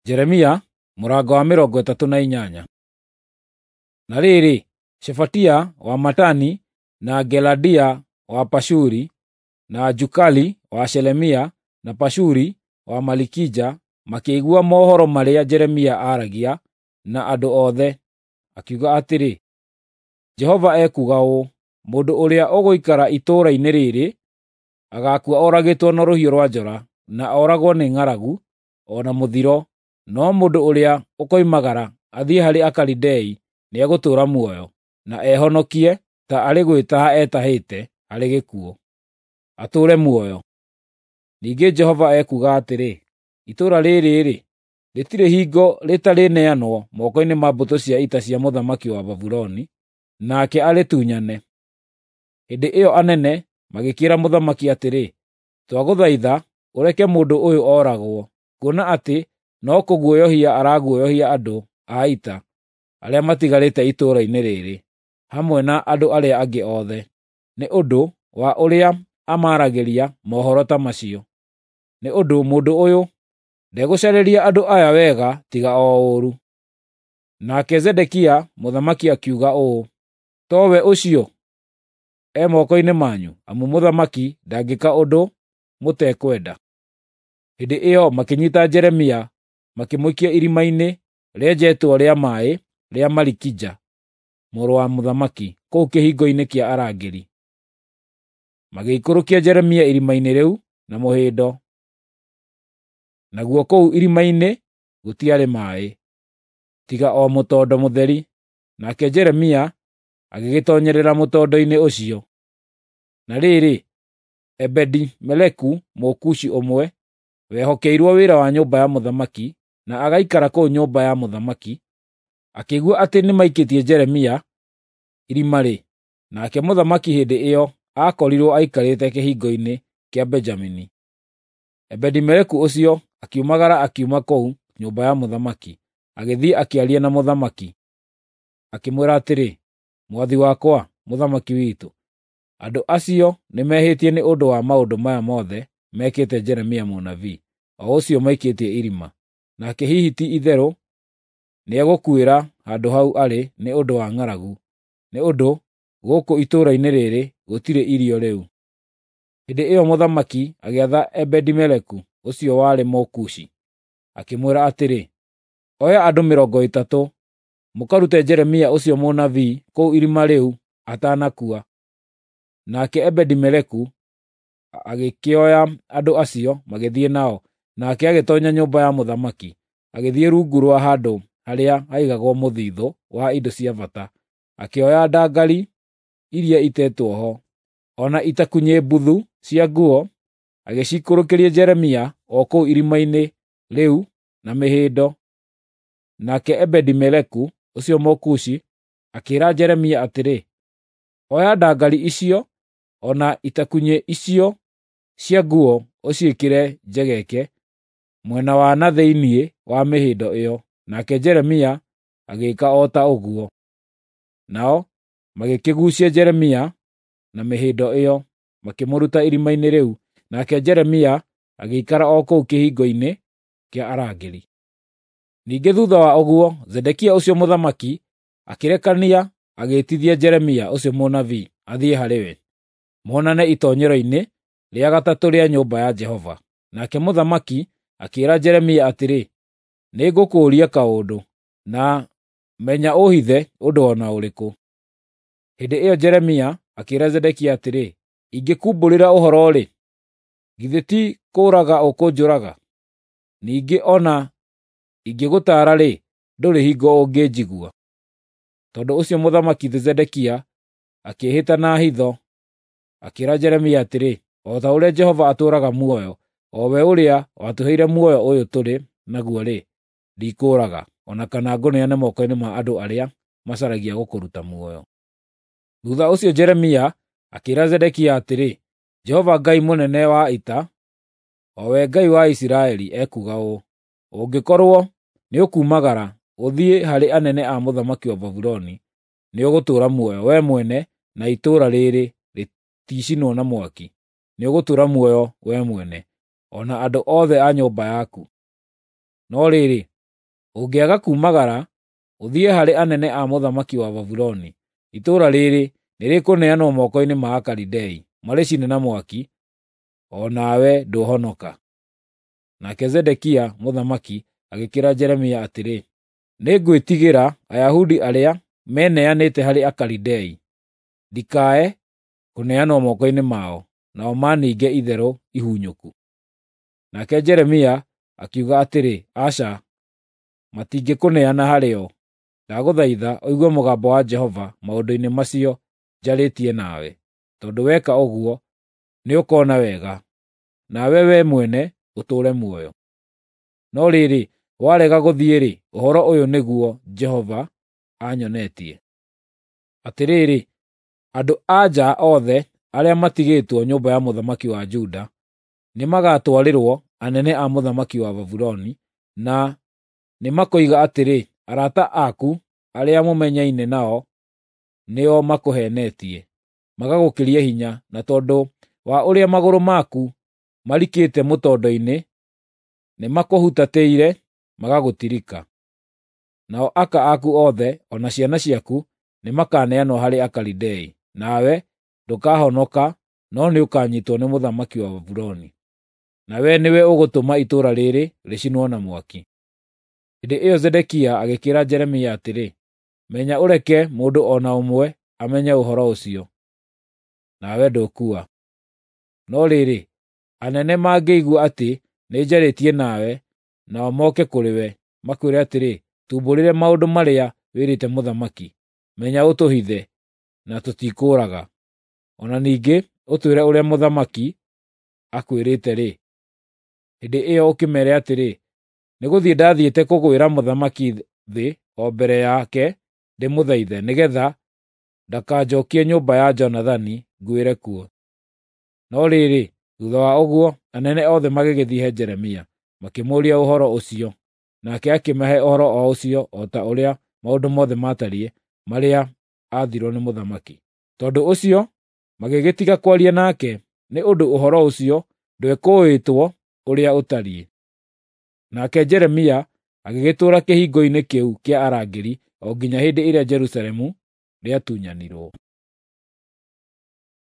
Jeremia mũrango wa 38. Na rĩrĩ, Shefatia wa Matani na Geladia wa Pashuri na Jukali wa Shelemia na Pashuri wa Malikija makĩigua mohoro marĩa Jeremia aaragia na andũ othe, akiuga atĩrĩ, Jehova ekuuga ũũ, mũndũ ũrĩa ũgũikara itũũra-inĩ rĩrĩ agaakua oragĩtwo na rũhiũ rwa njora na oragwo nĩ ng'aragu o na mũthiro, no mũndũ ũrĩa ũkoimagara athiĩ harĩ Akalidei nĩegũtũũra muoyo, na ehonokie ta arĩ gwĩtaha etahĩte harĩ gĩkuũ, atũũre muoyo. Ningĩ Jehova ekuuga atĩrĩ, itũũra rĩrĩ-rĩ, rĩtirĩ hingo rĩtarĩneanwo moko-inĩ ma mbũtũ cia ita cia mũthamaki wa Babuloni, nake arĩtunyane. Hĩndĩ ĩyo anene magĩkĩĩra mũthamaki atĩrĩ, twagũthaitha ũreke mũndũ ũyũ oragwo, kuona atĩ no kũguoyohia araguoyohia andũ a ita arĩa matigarĩte itũũra-inĩ rĩrĩ, hamwe na andũ arĩa angĩ othe, nĩ ũndũ wa ũrĩa amaaragĩria mohoro ta macio. Nĩ ũndũ mũndũ ũyũ ndegũcarĩria andũ aya wega tiga o ũũru. Nake Zedekia mũthamaki akiuga ũũ, towe ũcio e moko-inĩ manyu, amu mũthamaki ndangĩka ũndũ mũtekwenda. Hĩndĩ ĩyo makĩnyiita Jeremia makĩmũikia irima-inĩ rĩenjetwo rĩa maaĩ rĩa Malikija mũrũ wa mũthamaki kũu kĩhingo-inĩ kĩa arangĩri. Magĩikũrũkia Jeremia irima-inĩ rĩu na mũhĩndo, naguo kũu irima-inĩ gũtiarĩ maaĩ, tiga o mũtondo mũtheri, nake Jeremia agĩgĩtoonyerera mũtondo-inĩ ũcio. Na rĩrĩ, Ebedi-Meleku Mũkushi ũmwe, wehokeirwo wĩra wa nyũmba ya mũthamaki na agaikara kũu nyũmba ya mũthamaki, akĩigua atĩ nĩmaikĩtie Jeremia irima-rĩ, nake mũthamaki hĩndĩ ĩyo aakorirwo aikarĩte kĩhingo-inĩ kĩa Benjamini. Ebedi-Meleku ũcio akiumagara akiuma kũu nyũmba ya mũthamaki, agĩthiĩ akĩaria na mũthamaki, akĩmwĩra atĩrĩ, “Mwathi wakwa, mũthamaki witũ, andũ acio nĩmehĩtie nĩ ũndũ wa maũndũ maya mothe mekĩte Jeremia mũnabii, o ũcio maikĩtie irima. Nake hihi ti-itherũ nĩegũkuĩra handũ hau arĩ nĩ ũndũ wa ng'aragu, nĩ ũndũ gũkũ itũũra-inĩ rĩrĩ gũtirĩ irio rĩu.” Hĩndĩ ĩyo mũthamaki agĩatha Ebedi-Meleku ũcio warĩ Mũkushi, akĩmwĩra atĩrĩ, “Oya andũ 30 mũkarute Jeremia ũcio mũnabii kũu irima rĩu atanakua.” Nake Ebedi-Meleku agĩkĩoya andũ acio magĩthiĩ nao, nake agĩtoonya nyũmba ya mũthamaki, agĩthiĩ rungu rwa handũ harĩa haigagwo mũthithũ wa indo cia bata, akĩoya ndangari iria itetwo ho, o na itakunyĩ mbuthu cia nguo, agĩciikũrũkĩria Jeremia o kũu irima-inĩ rĩu na mĩhĩndo. Nake Ebedi-Meleku ũcio Mũkushi akĩĩra Jeremia atĩrĩ, “Oya ndangari icio o na itakunyĩ icio cia nguo ũciĩkĩre njegeke mwena wa na thĩinĩ wa mĩhĩndo ĩyo.” Nake Jeremia agĩĩka o ta ũguo. Nao magĩkĩguucia Jeremia na mĩhĩndo ĩyo, makĩmũruta irima-inĩ rĩu, nake Jeremia agĩikara o kũu kĩhingo-inĩ kĩa arangĩri. Ningĩ thuutha wa ũguo, Zedekia ũcio mũthamaki akĩrekania agĩĩtithia Jeremia ũcio mũnabii athiĩ harĩ we, monane itoonyero-inĩ rĩa gatatũ rĩa nyũmba ya Jehova. Nake mũthamaki akĩĩra Jeremia atĩrĩ, “Nĩngũkũũria kaũndũ, na menya ũũhithe ũndũ o na ũrĩkũ.” Hĩndĩ ĩyo Jeremia akĩĩra Zedekia atĩrĩ, “Ingĩkumbũrĩra ũhoro-rĩ, githĩ ti kũũraga ũkũnjũraga? Ningĩ o na ingĩgũtaara-rĩ, ndũrĩ hingo ũngĩnjigua.” Tondũ ũcio mũthamaki Zedekia akĩĩhĩta na hitho, akĩĩra Jeremia atĩrĩ, “O ta ũrĩa Jehova atũũraga muoyo, o we ũrĩa watũheire muoyo ũyũ tũrĩ naguo-rĩ, ndikũũraga, o na kana ngũneane moko-inĩ ma andũ arĩa macaragia gũkũruta muoyo.” Thuutha ũcio Jeremia akĩĩra Zedekia atĩrĩ, “Jehova Ngai mũnene wa ita, o we Ngai wa Isiraeli, ekuuga ũũ: Ũngĩkorwo nĩũkumagara ũthiĩ harĩ anene a mũthamaki wa Babuloni, nĩũgũtũũra muoyo, wee mwene na itũũra rĩrĩ rĩticinwo na mwaki. Nĩũgũtũũra muoyo wee mwene, o na andũ othe a nyũmba yaku. No rĩrĩ, Ũngĩaga kuumagara ũthiĩ harĩ anene a mũthamaki wa Babuloni, itũũra rĩrĩ nĩrĩkũneanwo moko-inĩ ma Akalidei, marĩcine na mwaki, o nawe ndũhonoka." Nake Zedekia mũthamaki agĩkĩĩra Jeremia atĩrĩ, "Nĩngwĩtigĩra Ayahudi arĩa meneanĩte harĩ Akalidei, ndikae kũneanwo moko-inĩ mao, nao maninge itherũ ihunyũku." Nake Jeremia akiuga atĩrĩ, "Aca, matingĩkũneana harĩo. Ndagũthaitha ũigue mũgambo wa Jehova maũndũ-inĩ macio njarĩtie nawe, tondũ weka ũguo nĩũkona wega, nawe wee mwene ũtũũre muoyo. No rĩrĩ, warega gũthiĩ-rĩ, ũhoro ũyũ nĩguo Jehova anyonetie. Atĩrĩrĩ, andũ-a-nja othe arĩa matigĩtwo nyũmba ya mũthamaki wa Juda nĩmagatwarĩrwo anene a mũthamaki wa Babuloni, na nĩmakoiga atĩrĩ, 'Arata aku arĩa mũmenyaine nao nĩo makũheenetie, magagũkĩria hinya, na tondũ wa ũrĩa magũrũ maku marikĩte mũtondo-inĩ, nĩmakũhutatĩire magagũtirika. Nao aka aku othe o na ciana ciaku nĩmakaneanwo harĩ Akalidei, nawe ndũkahonoka no nĩũkanyiitwo nĩ mũthamaki wa Babuloni. Na wee nĩwe ũgũtũma itũũra rĩrĩ rĩcinwo na mwaki." Hĩndĩ ĩyo Zedekia agĩkĩĩra Jeremia atĩrĩ, "Menya ũreke mũndũ o na ũmwe amenye ũhoro ũcio, nawe ndũkua. No rĩrĩ, anene mangĩigua atĩ nĩnjarĩtie nawe, nao moke kũrĩ we, makwĩre atĩrĩ, 'Tumbũrĩre maũndũ marĩa wĩrĩte mũthamaki, menya ũtũhithe, na tũtikũũraga. O na ningĩ ũtwĩre ũrĩa mũthamaki akwĩrĩte-rĩ,' hĩndĩ ĩyo ũkĩmeere atĩrĩ, 'Nĩgũthiĩ ndathiĩte kũgwĩra mũthamaki thĩ o mbere yake ndĩmũthaithe, nĩgeetha ndakanjookie nyũmba ya Jonathani nguĩre kuo.'" No rĩrĩ, thuutha wa ũguo, anene othe magĩgĩthiĩ he Jeremia, makĩmũũria ũhoro ũcio, nake akĩmahe ũhoro o ũcio o ta ũrĩa maũndũ mothe maatariĩ marĩa aathirwo nĩ mũthamaki. Tondũ ũcio magĩgĩtiga kwaria nake, nĩ ũndũ ũhoro ũcio ndwekũũĩtwo ũrĩa ũtariĩ. Nake Jeremia agĩgĩtũũra kĩhingo-inĩ kĩu kĩa arangĩri o nginya hĩndĩ ĩrĩa Jerusalemu rĩatunyanirwo.